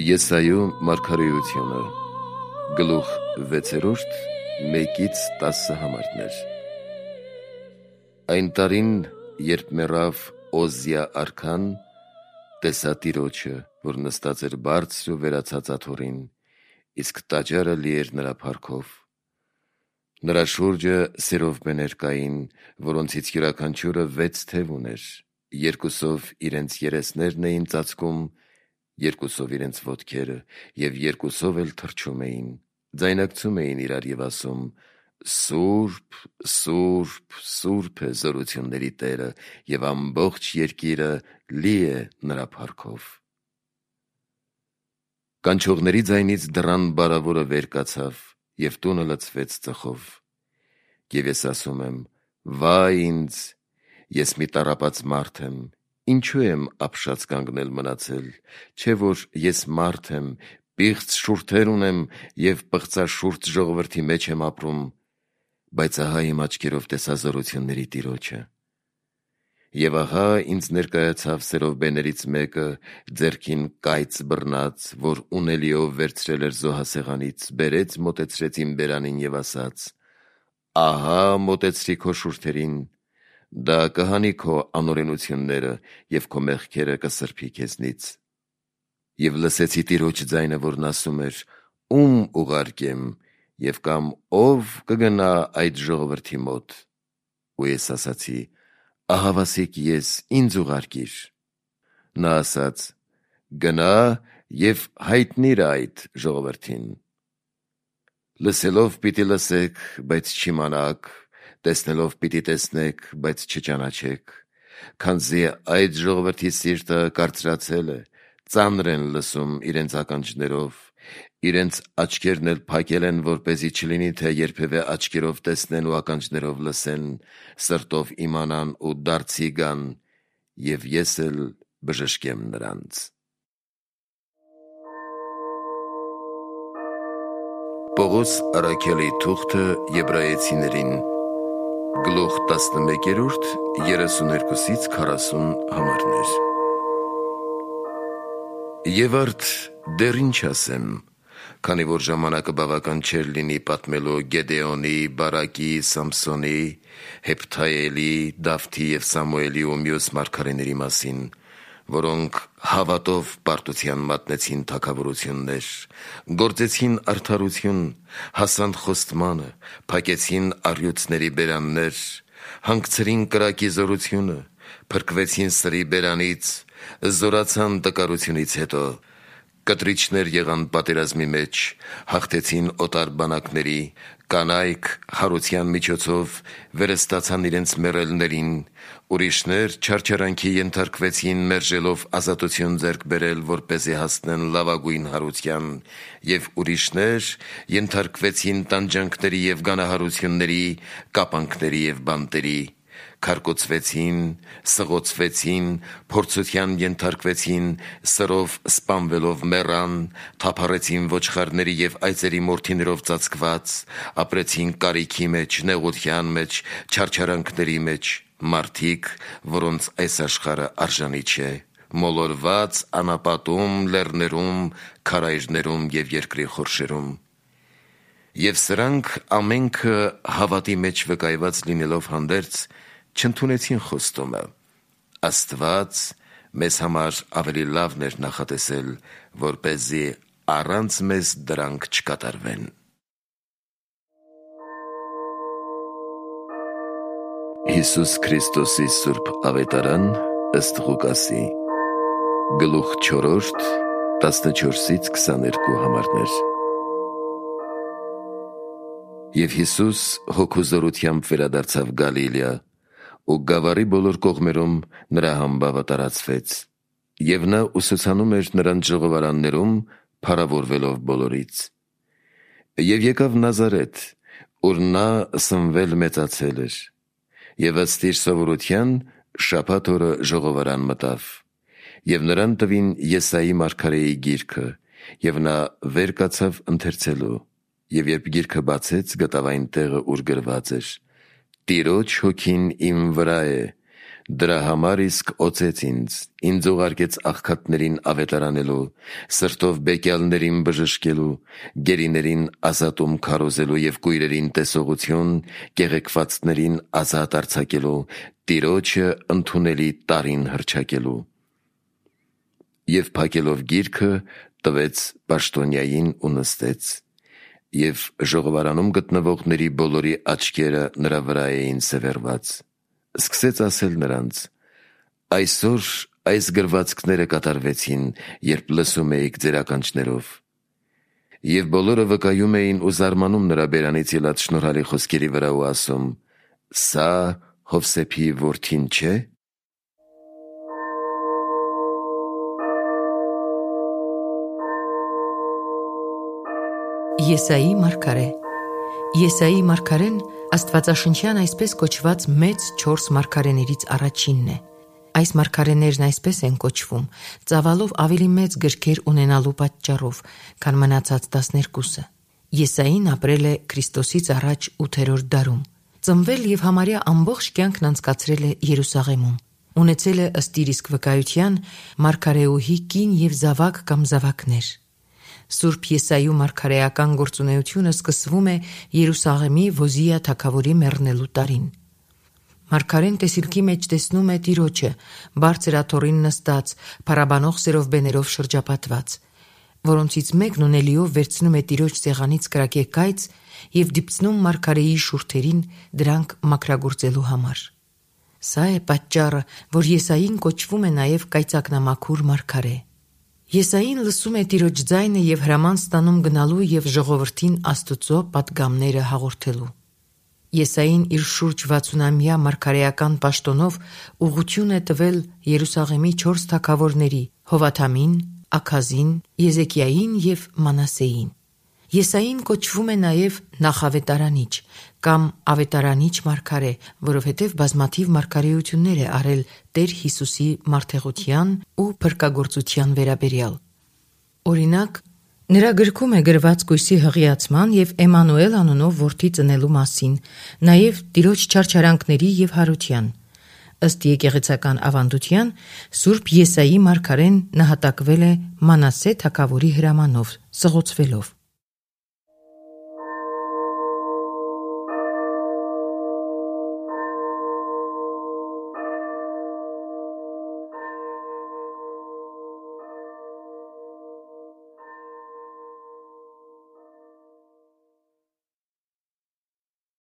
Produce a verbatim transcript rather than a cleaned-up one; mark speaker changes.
Speaker 1: Եսայու մարգարեությունը գլուխ վեցերորդ մեկից տասը համարներ։ Այն տարին, երբ մեռավ Օզիա արքան, տեսա Տիրոջը, որ նստած էր բարձր ու վերացած աթոռին, իսկ տաճարը լի էր նրա փառքով։ Նրա շուրջը սերովբեներ կային, որոնցից յուրաքանչյուրը վեց թև ուներ, երկուսով իրենց երեսներն էին ծածկում, երկուսով իրենց ոտքերը և երկուսով էլ թռչում էին, ձայնարկում էին իրար և ասում. «Սուրբ, Սուրբ, Սուրբ է զորությունների Տերը, և ամբողջ երկիրը լի է նրա փառքով»։ Կանչողների ձայնից դռան բարավորը վեր կացավ, և տունը լցվեց ծխով։ Եվ ես ասում եմ. «Վայ ինձ, ես մի տառապած մարդ եմ, ինչու եմ ապշած կանգնել մնացել, չէ՞ որ ես մարդ եմ, պիղծ շուրթեր ունեմ և պղծաշուրթ ժողովրդի մեջ եմ ապրում, բայց ահա իմ աչքերով տեսա զորությունների Տիրոջը»։ Եվ ահա ինձ ներկայացավ սերովբեներից մեկը, ձեռքին կայծ բռնած, որ ունելիով վերցրել էր զոհասեղանից, բերեց, մոտեցրեց իմ բերանին և ասաց. «Ահա մոտեցրի քո շուրթերին, դա կհանի քո անօրենությունները և քո մեղքերը կսրբի քեզնից»։ Եվ լսեցի Տիրոջ ձայնը, որն ասում էր. «Ո՞ւմ ուղարկեմ, և կամ ո՞վ կգնա այդ ժողովրդի մոտ»։ Ու ես ասացի. «Ահավասիկ ես, ինձ ուղարկիր»։ Նա ասաց. «Գնա և հայտնիր այդ ժողովրդին. լսելով պիտի լսեք, բայց չիմանաք, տեսնելով պիտի տեսնեք, բայց չճանաչեք, քանզի այդ ժողովրդի սիրտը կարծրացել է, ծանր են լսում իրենց ականջներով, իրենց աչքերն էլ փակել են, որպեսզի չլինի, թե երբևէ աչքերով տեսնեն ու ականջներով լսեն, սրտով իմանան ու դարձի գան, և ես էլ բժշկեմ նրանց»։ Պողոս առաքյալի թուղթը Եբրայեցիներին, գլուխ տասնմեկերորդ, երեսուներկուսից քառասուն համարներ։ Եվ արդ դեռ ինչ ասեմ, քանի որ ժամանակը բավական չէր լինի պատմելու Գեդեոնի, Բարակի, Սամսոնի, Հեփթայելի, Դավթի և Սամուելի ու մյուս մարգարեների մասին, որոնք հավատով պարտության մատնեցին թագավորություններ, գործեցին արդարություն, հասան խոստմանը, փակեցին առյուծների բերաններ, հանգցրին կրակի զորությունը, փրկվեցին սրի բերանից, զորացան տկարությունից հետո, կտրիչներ եղան պատերազմի մեջ, հաղթեցին օտար բանակների, կանայք հարության միջոցով վերստացան իրենց մեռելներին, ուրիշներ չարչարանքի ենթարկվեցին, մերժելով ազատություն ձեռք բերել, որպեսզի հասնեն լավագույն հարության, և ուրիշներ ենթարկվեցին տանջանքների և գանահարությունների, կապանքների և բանտերի, քարկոծվեցին, սղոցվեցին, փորձության ենթարկվեցին, սրով սպանվելով մեռան, թափառեցին ոչխարների և այծերի մորթիներով ծածկված, ապրեցին կարիքի մեջ, նեղության մեջ, չարչարանքների մեջ, մարդիկ, որոնց այս աշխարհը արժանի չէ, մոլորված անապատում, լեռներում, քարայրներում և երկրի խորշերում։ Եվ սրանք ամենքը հավատի մեջ վկայված լինելով հանդերձ, չընդունեցին խոստումը։ Աստված մեզ համար ավելի լավն էր նախատեսել, որպեսզի առանց մեզ դրանք չկատարվեն։ Հիսուս Քրիստոսի սուրբ ավետարան ըստ Ղուկասի, գլուխ չորրորդ, տասնչորսից քսաներկու համարներ։ Եվ Հիսուս հոգու զորությամբ վերադարձավ Գալիլեա, ու գավառի բոլոր կողմերում նրա համբավը տարածվեց, և նա ուսուցանում էր նրանց ժողովարաններում, փառավորվելով բոլորից։ Եվ եկավ Նազարեթ, ուր նա սնվել մեծացել էր, և ըստ իր սովորության շաբաթ օրը ժողովարան մտավ, և նրան տվին Եսայի մարգարեի գիրքը, և նա վեր կացավ ընթերցելու, և երբ գիրքը բացեց, գտավ այն տեղը, ուր գրված էր. «Տիրոջ հոգին իմ վրա է, Դրա համար իսկ օծեց ինձ, ինձ ուղարկեց աղքատներին ավետարանելու, սրտով բեկյալներին բժշկելու, գերիներին ազատում քարոզելու և կույրերին տեսողություն, կեղեքվածներին ազատ արձակելու, Տիրոջը ընդունելի տարին հռչակելու։ Եվ փակելով գիրքը տվեց պաշտոնյային ու նստեց, և ժողովարանում գտնվողների բոլորի աչքերը նրա վրա էին սևեռված։ Սկսեց ասել նրանց. «Այսօր այս գրվածքները կատարվեցին, երբ լսում էիք ձեր ականջներով»։ Եվ բոլորը վկայում էին ու զարմանում նրա բերանից ելած շնորհալի խոսքերի վրա ու ասում. «Սա Հովսեփի որդին չէ՞»։
Speaker 2: Եսայի մարգարե Եսայի մարգարեն աստվածաշնչյան այսպես կոչված մեծ չորս մարգարեներից առաջինն է։ Այս մարգարեներն այսպես են կոչվում ծավալով ավելի մեծ գրքեր ունենալու պատճառով, քան մնացած տասներկուսը։ Եսային ապրել է Քրիստոսից առաջ ութերորդ դարում, ծնվել և համարյա ամբողջ կյանքն անցկացրել է Երուսաղեմում։ Ունեցել է ըստ իր իսկ վկայության մարգարեուհի կին և զավակ կամ զավակներ։ Սուրբ Եսայու մարգարեական գործունեությունը սկսվում է Երուսաղեմի Ոզիա թագավորի մեռնելու տարին։ Մարգարեն տեսիլքի մեջ տեսնում է Տիրոջը, բարձր աթոռին նստած, փառաբանող սերովբեներով շրջապատված, որոնցից մեկն ունելիով վերցնում է Տիրոջ սեղանից կրակեկայծ և դիպցնում մարգարեի շուրթերին դրանք մաքրագործելու համար։ Սա է պատճառը, որ Եսային կոչվում է նաև կայծակնամաքուր մարգարե։ Եսային լսում է Տիրոջ ձայնը և հրաման ստանում գնալու և ժողովրդին Աստծո պատգամները հաղորդելու։ Եսային իր շուրջ վաթսունամյա մարգարեական պաշտոնով ուղղություն է տվել Երուսաղեմի չորս թագավորների՝ Հովաթամին, Աքազին, Եզեկիային և Մանասեին։ Եսային կոչվում է նաև նախավետարանիչ կամ ավետարանիչ մարգարե, որովհետև բազմաթիվ մարգարեություններ է արել Տեր Հիսուսի մարդեղության ու փրկագործության վերաբերյալ։ Օրինակ, նրա գրքում է գրված կույսի հղիացման և Էմանուել անունով որդի ծնելու մասին, նաև Տիրոջ չարչարանքների և հարության։ Ըստ եկեղեցական ավանդության, Սուրբ Եսայի մարգարեն նահատակվել է Մանասե թագավորի հրամանով, սղոցվելով։